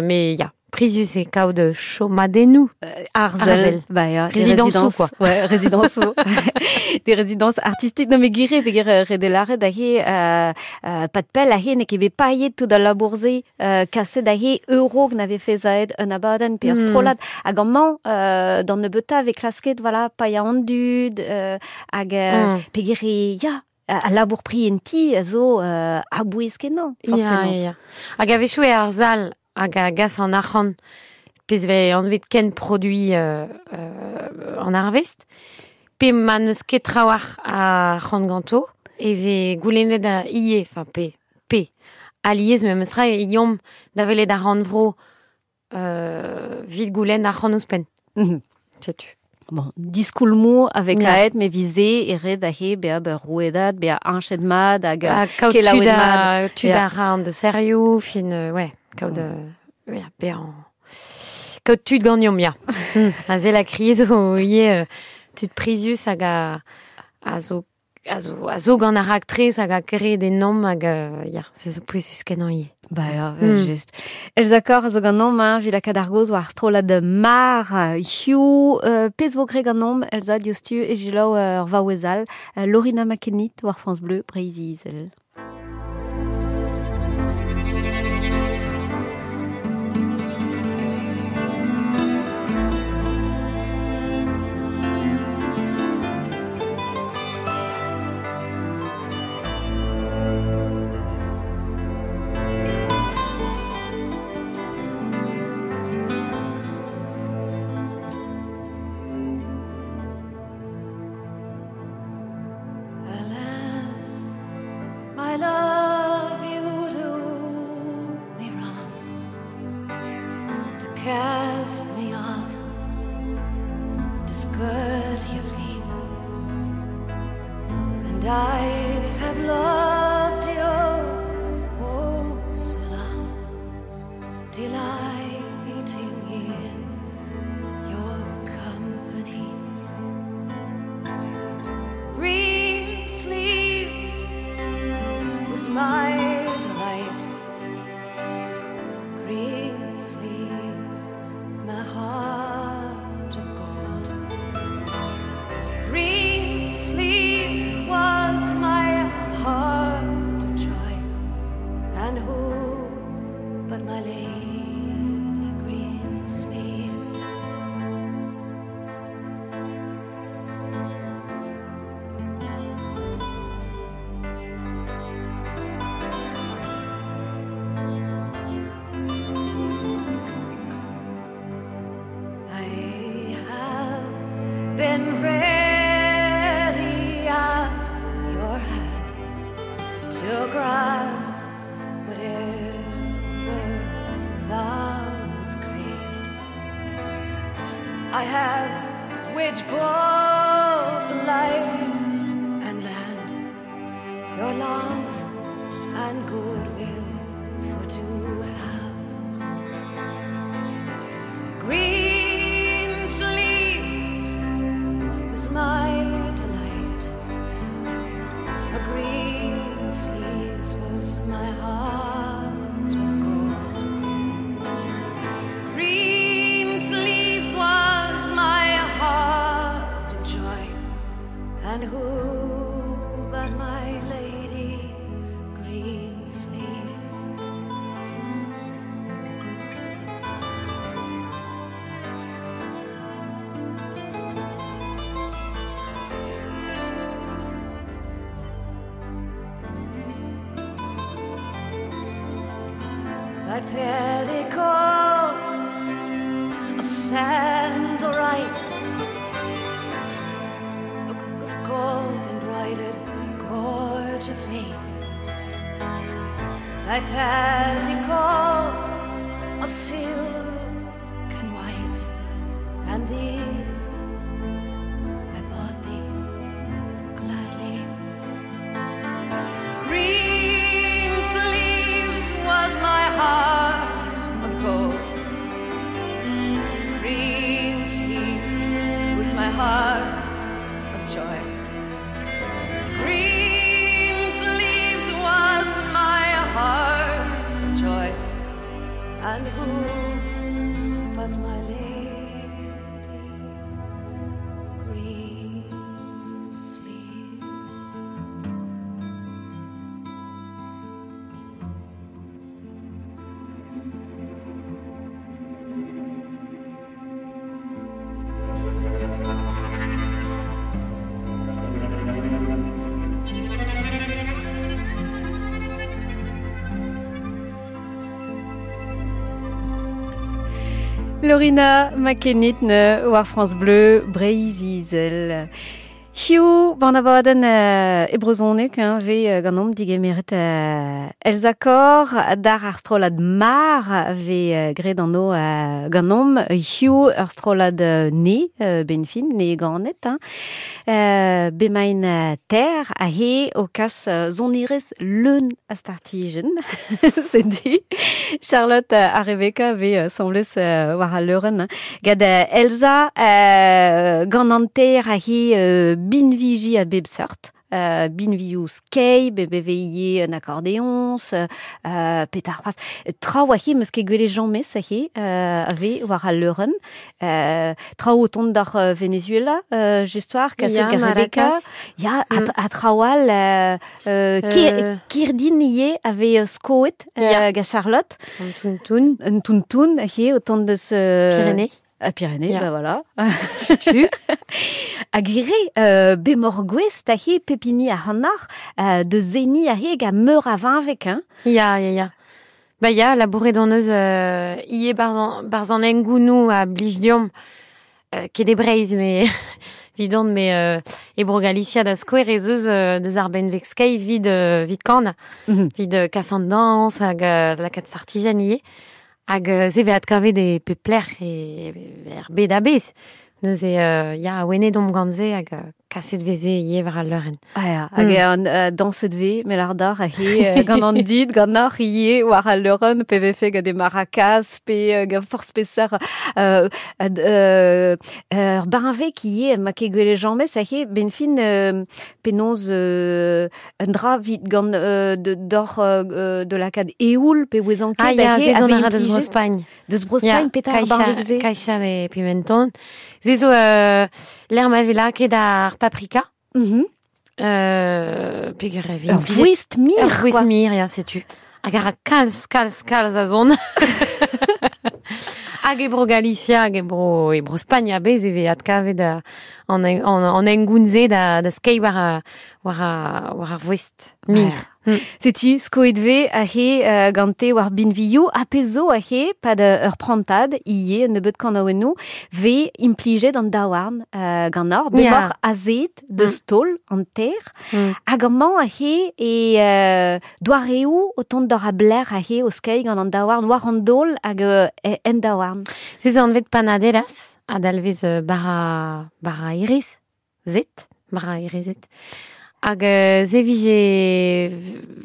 me, ya, prizus e kaout chomadennoù. Arzel. Arzel. Bah, ya, des Résidence résidences. quoi. Ouais, résidence Des résidences artistiques. Non, mais gwir peger redelare da he, pat pell a he, ne ket bet paillet tout al labourze, kaset da he euro n'avait fait zaed un abadenn pe ur strollad. Hag amañ, d'an nebeuta ve klasket, voilà, paia an dud, hag, peger e, ya, a labour pri en ti a zo a bouez kenañ, forz Ya, penaos. ya. Hag a-wechoù e ar zal hag a gas an arc'hant pezh vez anvet ken produit an arvest, pe ma n'eus ket trawalc'h a arc'hant ganto, e vez goulennet a ie, enfin pe, pe, aliez memes tra e iomp da welet ar rannvro vit goulenn arc'hant ouzhpenn. Setu. Bon, diskoulmoù avec Ya. aet, me vize, e red a he, bea be rouedad, bea anchet mad, hag Ha kaout kelaouet tud a, mad. tud Ya. a ra an de serioù, fin, ouais, kaout, ya, bea an... Kaout tud ganeomp, ya. A ze la kriez zo ie, tud prizius hag a zo, a zo, a zo gant ar raktres hag a kere de nom hag, ya, se zo pouezus kenañ ie. Ba ya, vel just. Elsa Kor a zo ganeomp, hein, vid lakaat ar goz war ar strollad mar, hiziv, pezh vo gre ganeomp, Elsa diouzhtu e jilaou ur vaouez all, Lorina McKennitt war France Bleu, Breizh-Izel. Alas, my love, you do me wrong to cast me off discourteously, and I have loved you oh so long, delighting in your company. Green sleeves was my delight. Green sleeves, my heart of gold. Green sleeves was my heart of joy. And who but my lady green sleeves? I have been ready at your hand to grant whatever thou wouldst crave. I have waged both life and land, your love and goodwill for to have. Green sleeves was my delight. A green sleeves was my heart of gold. Green sleeves was my heart of joy. And who but my lady green sleeves? Thy petticoat of sandalite, with gold embroidered gorgeously. Thy petticoat of silk and white, and these I bought thee gladly. Green sleeves was my heart of gold. Green sleeves was my heart of joy. Green sleeves was my heart of joy. but my lady green sleeves. Lorina McKennitt war France Bleu Breizh-Izel. Hiziv ban abadenn e brezhoneg hein, vez ganeomp digemeret Elsa Korr d'ar ar strollad Mar vez graet an o ganeomp hiziv ur strollad ne benfin ne ganet hein. Bemain ter a he o kas sonerezh leun a startijenn setu Charlotte ha Rebecca vez semblez war al leurenn gant Elsa gant an ter a he binviji a bep seurt. Binvioù skei, bebe un accordéons, petar c'hoazh. Traoù a he meus ket gwelet james a he a vez war al leurenn. Traoù o tont d'ar Venezuela, just war, kaset Ya, gant Rebecca. maracas. Ya, a traoù all, kirdin ivez a vez skoet gant Charlotte. Un tountoun. Un tountoun, a he, o tont deus... Pyrénées. A Pyrénées, Ya. bah voilà. Tu. A gwire, bemor gwez, ta he pepini a hannar, de zeni a he ga meur a vinvek, hein. Ya, ya, ya. Ba ya, labouret hon eus ie barzan engounou a blij deomp, ket e Breizh, me vidon, me e bro Galicia da skouer ez eus deus ar benveg skei vid kan, vid kas an dans hag lakaat sartijenn ivez. Hag se ve adkavet e pep lec'h e er bed a-bezh. Neuze ya, a wenet omp gant se hag kaset veze ivez war al leurenn. Ah ya, hag an danset ve, melardar, a he gant an dud, gant ar ivez war al leurenn, pe vefe gant e maracas, pe gant forzh peseurt ur benveg ivez, ma ket gwelet james, a he benfin penaos un dra vit gant d'or de lakaat eoul, pe ouezan ket, Ah, ya, a he se dont a a ra deus implijet. Bro-Spagn. Deus Bro-Spagn, Ya, petra ar benveg se? Caixa de Pimenton. Se zo l'er ma vez lakaet ar paprika. Peogwir e vez Ur implijet voest mir, Ur voest quoi. mir, ya, setu. Hag a ra kalz, kalz, kalz a zon. Hag e bro Galicia, hag e bro Spagn a-bezh e vez adkavet an engoun-se da skei war ar voest mir. Setu, skoet ve a he gante war binvioù, a pezo a he, pad ur prantad, ie, nebeut kanaouennoù, ve implijet an daouarn gant ar, bemor azet de stol an ter, hag amañ a he e doareoù o tont d'ar a bler a he o skei gant an daouarn, war an dol hag en daouarn. Se zo anvet panaderas, adalvez bara iriz, zet, bara irizet. Hag se vije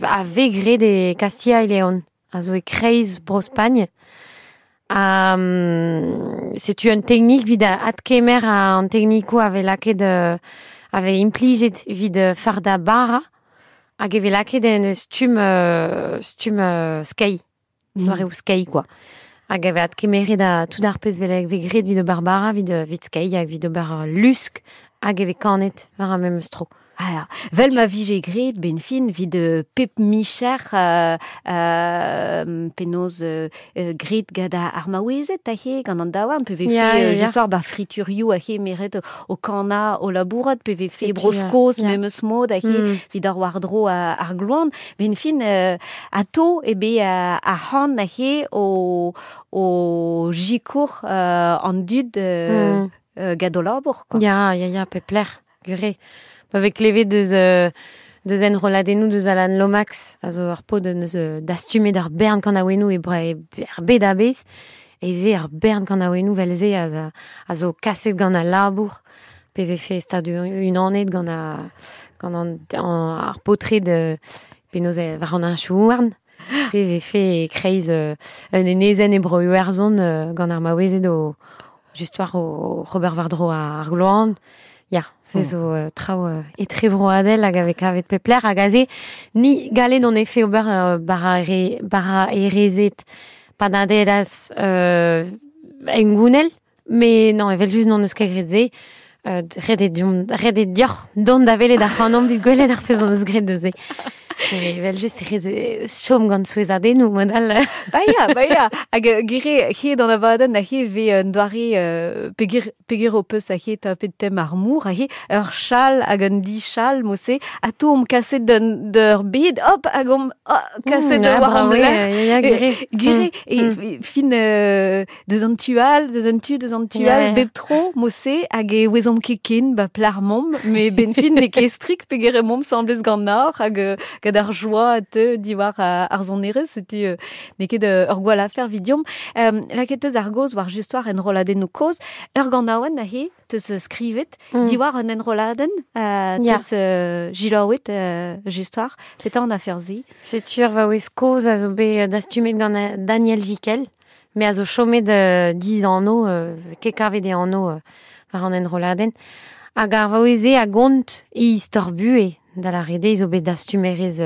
a ve graet e Castilla y León, a zo e kreiz Bro-Spagn. Setu un teknik vid a adkemer an teknikoù a ve lakaet a ve implijet vid farda bara, hag e ve lakaet en stumm skei, doareoù skei, quoi. Hag e ve adkemeret a tout ar pezh ve graet vid ober bara, vid skei, hag vid ober lusk, hag e ve kanet war ar memes tro. Ah ya, vel ma vije graet ben fin vid pep micher penaos graet gant ar maouezed a he gant an daouarn, pe vefe Ya, ya, ya. just war ba friturioù a he meret o kana o labourat, pe vefe Setu, broskoz ya. memes mod a he vid ar war-dro ar gloan. Ben fin ato e be ar c'han a he o jikour an dud gant o labour, quoi. Ya, ya, ya, pep lec'h, gure. Ba vez klevet deus enrolladennoù deus Alan Lomax, a zo ur paotr deus dastumet ar bern kanaouennoù e er bed a-bezh, e vez ar bern kanaouennoù vel-se a zo kaset gant al labour, pe vefe stad unanet gant ar paotred penaos war an henchoù-houarn, pe vefe e kreiz un enezenn e bro Iwerzhon gant ar maouezed o just war o Robert war-dro ar gloan. Ya, se zo traoù etrevroadel hag avec avet pepler hag aze ni galet on efe ober bara erezet panaderas engounel, me non, evel just non eus ket graet se, ret eo deoc'h dont da welet ar c'hanomp evit gwelet ar pezh hon eus graet neuze. Evel just e chom gant souezhadennoù mod all. Ba ya, ba ya. Hag gure he d'an abadenn a he ve un doare peger peger ho peus a he tapet tem ar mour a he ur chal hag un dichal mose a to omp kaset d'ur bed hop hag omp kaset war an lec'h. Gure e fin deus an tu all, deus an tu, deus an tu all, bep tro mose hag e ouezomp ket ken ba plar momp, me ben fin ne ket strik peger e momp semblez gant ar hag gant ar joa te diwar ar sonerezh, setu n'eo ket ur gwall afer vidiom. Lakaet eus ar goz war just war enrolladennoù kozh, ur ganaouenn aze teus skrivet, diwar un enrolladenn, teus jilaouet just war, petra an afer se? Setu ur vaouez kozh a zo bet dastumet gant Daniel Jikel, me a zo chomet diz anno, ket kavet e anno war an enrolladenn. Hag ar vaouez-se a gont e istor buhe. Da la rede, izo bet dastumerez,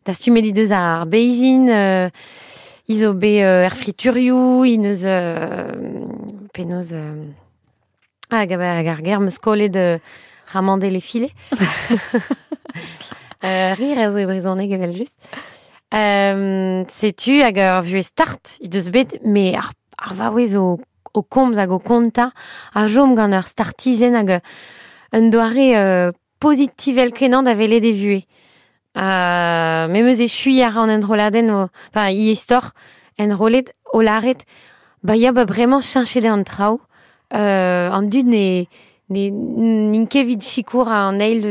dastumet he deus ar Beijing, izo bet er friturioù, he neus penaos hag ar ger meus kollet ramande les filets. Rire a zo e brezhoneg evel just. Setu hag ar vuhez start he deus bet, me ar vaouez o komz hag o kontañ a chom gant ur startijenn hag un doare pozitivel kenañ da welet e vuhez. Me meus echui ar an enrolladenn, enfin, i istor enrollet o lâret, ba ya ba bremañ cheñchet eo an traoù, an dud ne n'int ket evit sikour an eil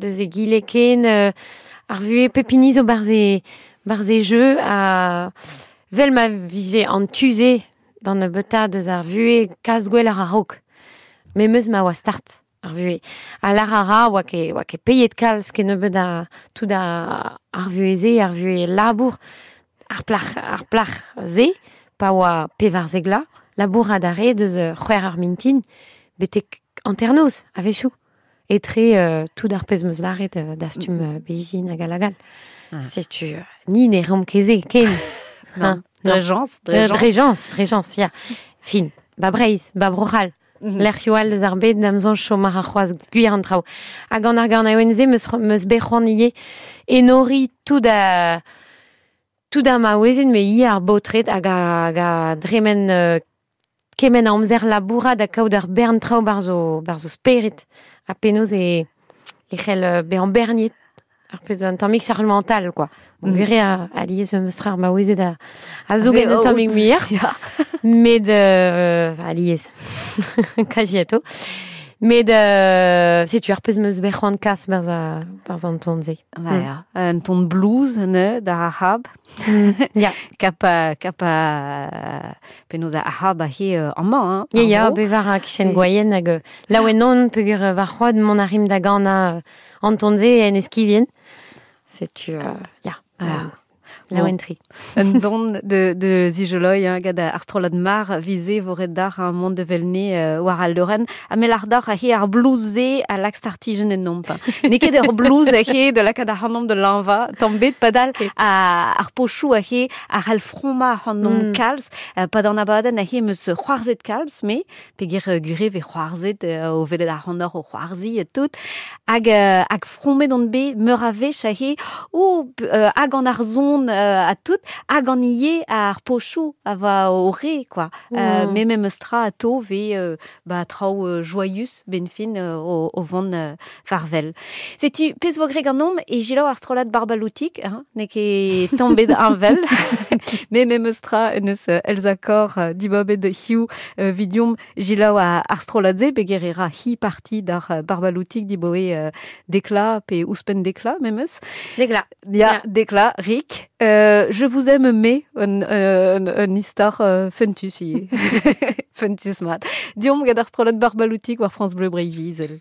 deus egile ken, ar vuhez pep hini zo barzh e jeu, ha vel ma vije an tu-se d'an nebeutañ deus ar vuhez kas gwell ar a-raok. Me meus ma oa start. Ar vuhez. Ha lar a ra oa ket peiet kalz ket nebeut a tout ar vuhez-se, ar vuhez labour, ar plac'h-se, pa oa pevarzek la, labour a dare deus c'hwec'h ar mintin, betek hanternoz a-wechoù. Etre tout ar pezh meus lâret dastum Beijing hag hag all. Setu, ni ne reomp ket se ken. Non. Drejans, drejans, ya. Fin, ba Breizh, ba Bro-C'hall. Lec'hioù all deus ar bed d'am soñj chom ar c'hoazh gwir an traoù. Hag an ar ganaouenn-se meus bet c'hoant ivez enoriñ tout a maouezed, me ivez ar baotred hag a dremen kement a amzer labourat da kaout ur bern traoù barzh o spered. Ha penaos e c'hell bezañ berniet ar pezh un tammig charge mental, quoi. Bon, gwir eo alies meus tra ar maouezed a zo get un tammig muioc'h. Met alies, kajiato. Met setu ar pezh meus bet c'hoant kas barzh an ton-se. Ya, un ton blues ne, da ar c'hab. Ya. Kap penaos ar c'hab a he amañ. Ya, ya, bevar a kichen gwaien hag laouen on peogwir war c'hoad mont a rim da ganañ an ton-se en eskivien. Setu, ya. Laouen tri. Un don de zijoloi, hein, gant ar strollad mar vize vo ret d'ar un mont de velne war al leurenn. Ha me lar d'ar he ar blues-se a lak startijenn en nomp. N'eo ket ur blues a he de lakaat ar c'hanomp de lanva, tamm bet padal ar pochoù a he ar c'hall fromma ar c'hanomp kalz, pad an abadenn a he meus c'hoarzhet kalz, me, peogwir gure ve c'hoarzhet o welet ar c'hanoc'h o c'hoarzi et tout, hag frommet on bet meur a wech a he hag an ar zon a tout, hag an ivez ar pochoù a va o re, quoi. Me memes tra a to ve ba traoù joyeux ben fin o vont farvel. Setu pezh vo greg an omp e jilaou ar strollad barbaloutik, hein, n'eo ket tamm bet anvel. Me memes tra eus Elsa Kor dibabet hiu vidiom jilaou ar strollad-se peogwir e ra hi parti d'ar barbaloutik diboe dekla pe ouzhpenn dekla memes. Dekla. Ya, dekla, rik. Je vous aime mais un istor fentus ivez. Fentus mat. Diomp gant ar strollad barbaloutik war France Bleu Breizh-Izel.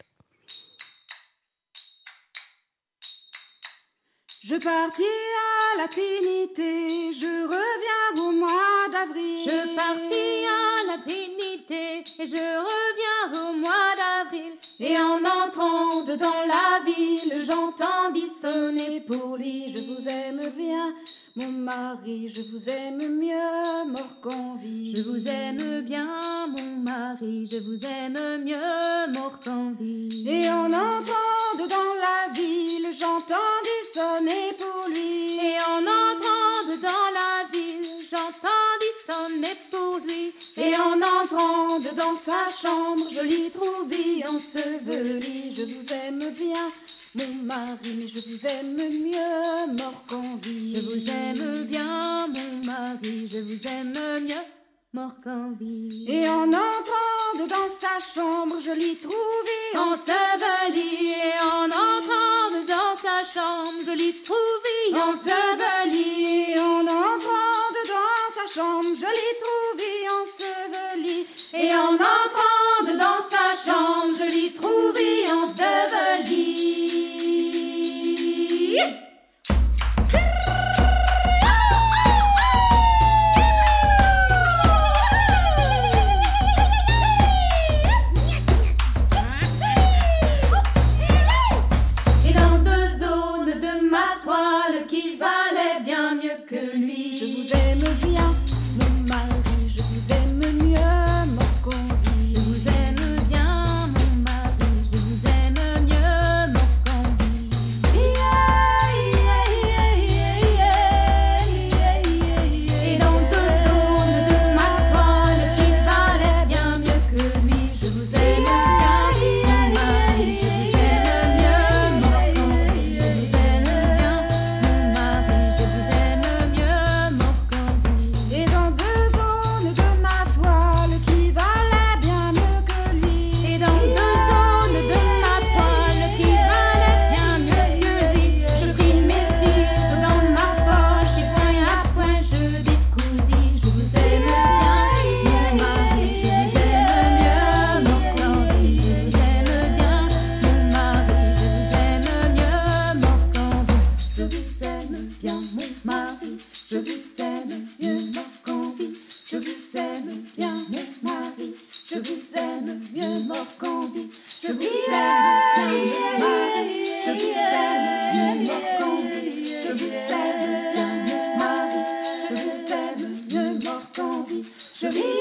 Je partis à la Trinité, je reviens au mois d'avril. Je partis à la Trinité et je reviens au mois d'avril. Et en entrant dans la ville, j'entendis sonner pour lui. Je vous aime bien, mon mari, je vous aime mieux mort qu'en vie. Je vous aime bien, mon mari, je vous aime mieux mort qu'en vie. Et en entrant dedans la ville, j'entendis sonner pour lui. Et en entrant dedans la ville, j'entendis sonner pour lui. Et en entrant dedans sa chambre, je l'y trouvai enseveli. Je vous aime bien, mon mari, mais je vous aime mieux mort qu'en vie. Je vous aime bien, mon mari, je vous aime mieux mort qu'en vie. Et en entrant dedans sa chambre, je l'y trouvai enseveli. Et en entrant dedans sa chambre, je l'y trouvai enseveli. Et en entrant dedans sa chambre, je l'y trouvai enseveli. Et en entrant dedans sa chambre, je l'y trouvai enseveli. Et dans deux zones de ma toile qui valait bien mieux que lui. Je vous aime bien, mon mari, je vous aime mieux mort qu'en vie. Je vous aime bien, mon mari, je vous aime mieux mort qu'en vie. Et dans deux zones de ma toile qui valait bien mieux que lui. Je vous aime bien, mon mari, je vous aime mieux mort qu'en vie. Je vous aime bien, mon mari, je vous aime mieux mort qu'en vie. Et dans deux zones de ma toile qui valait bien mieux que lui. Et dans deux zones de ma toile qui valait bien mieux que lui. Je pris mes ciseaux dans ma poche et point à point je décousis. Je vous aime bien, mon mari, je vous aime mieux mort qu'en vie. Je vous aime bien, mon mari, je vous aime mieux mort qu'en vie. Je vous aime bien, mon mari, je vous aime mieux mort qu'en vie. Je vous aime bien, mon mari, je vous aime mieux mort qu'en vie. Je vous aime bien, mon mari, je vous aime mieux mort qu'en vie. Je vous aime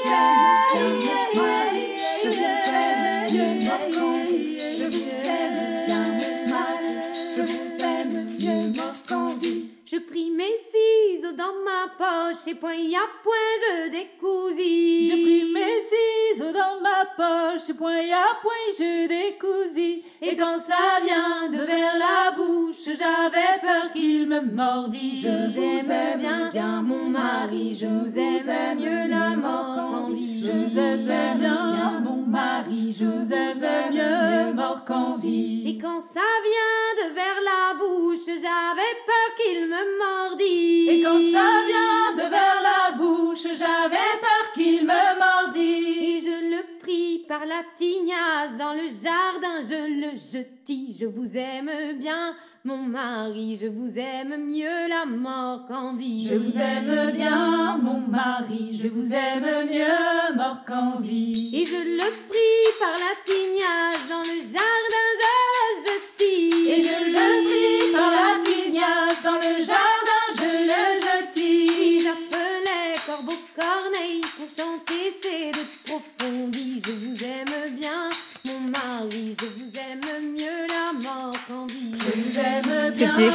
bien, mon mari, je vous aime mieux mort qu'en vie. Je vous aime bien, mon mari, je vous aime mieux mort qu'en vie. Je vous aime bien, mon mari, je vous aime mieux mort qu'en vie. Je pris mes ciseaux dans ma poche et point à point je décousis. Je pris mes ciseaux dans ma poche, point à point je décousis. Et quand ça vient de vers la bouche, j'avais peur qu'il me mordît. Je vous aime bien, mon mari, je vous aime mieux la mort qu'en vie. Je vous aime bien, mon mari, je vous aime mieux mort qu'en vie. Et quand ça vient de vers la bouche, j'avais peur qu'il me mordît. Et quand ça vient de vers la bouche, j'avais peur qu'il me mordît. Et je le pris par la tignasse dans le jardin, je le jetis. Je vous aime bien, mon mari, je vous aime mieux la mort qu'en vie. Je vous aime bien, mon mari, je vous aime mieux mort qu'en vie. Et je le pris par la tignasse dans le jardin, je le jetis. Et je le pris par la tignasse dans le jardin, je le jetis. Et j'appelais Corbeau Corneille pour chanter ces deux profondis. Je vous aime bien, mon mari, je vous aime mieux la mort qu'en vie. Je vous aime bien. Setu,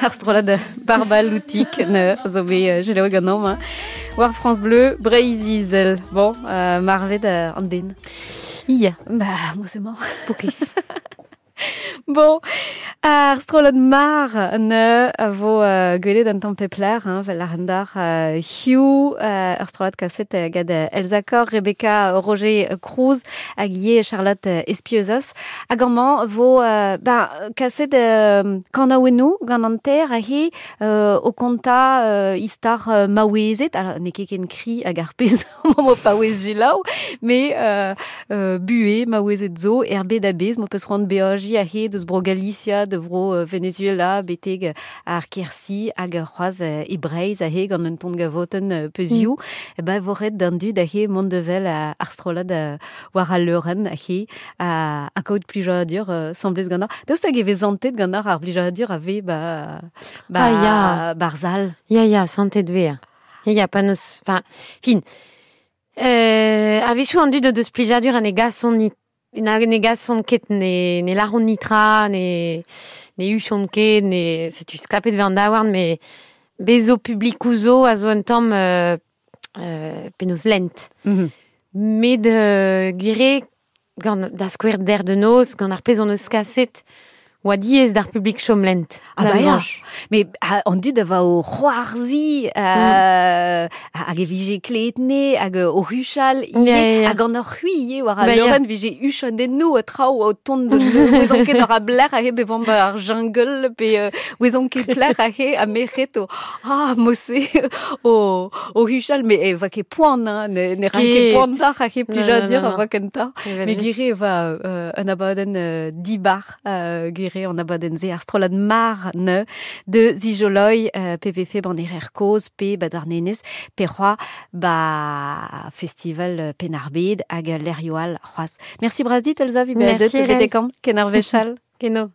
ar strollad Barba Loutik ne zo bet selaouet ganeomp, hein. War France Bleu, Breizh-Izel. Bon, marvet an den. Ia. Bah, moi c'est mort. Pokez. Bon, ar strollad mar ne a vo gwelet an tamm pepler, hein, vel ar endar Hugh, ur strollad kaset gad Elsa Kor, Rebecca Roger Cruz, hag ivez Charlotte Espieuzas. Hag amañ vo ben, kaset kanaouennoù gant an ter a he o konta istar maouezet, alors n'eo ket ken kri hag ar pezh mo paouez selaou, mais bue maouezet zo, er bed a-bezh, mo peus c'hoant beajiñ a he deus bro Galicia, de vro Venezuela beteg ar Kersi hag c'hoaz e Breizh ahe gant un ton gavoten peuzioù. Ba vo ret d'an dud ahe mont devel ar strollad war al leurenn ahe a kaout plijadur semblez gant ar. Daoust hag e vez santet gant ar plijadur a ve ba, ba, Ah, ya. barzal. Ya, ya, santet ve. Ya, ya, pa neus... Enfin, fin. A-wechoù an dud o deus plijadur ha ne gasont ni, na, ne gasont ket, ne laront nitra, ne huchont ket, ne, setu sklapet ve an daouarn, mais bezo publikoù zo a zo un tamm penaos lent. Met gwire, gant da skouer der de noz, gant ar pezh hon eus kaset, oa diaes d'ar publik chom lent. Ah Da ba ya. soñj. Mais an dud a va o c'hoarzi hag e vije kletne hag o huchal ivez, Ya, ya, ya. hag an ur c'hwi ivez war al Ba ya. leurenn vije huchadennoù ha traoù o tont de ouezon ket ur a blec'h ahe bevan ba ar jungle pe ouezon ket plec'h ahe ha merc'hed o ah mose o huchal mais e va ket poan hein, ne ra ket Ket. poan d'ar ahe Non, non, plijadur non, a non. va kentañ. Evel Mais just. gwire e va un abadenn dibar gwire an abadenn ze ar strollad mar ne de zijoloi PVF ban erer koz pe ba douarnenez pe c'hoa ba festival Penarbed hag lerioal c'hoaz. Merci bras dit Elsa vi Merci, bet Irène. betekam ken ar vechal. Keno.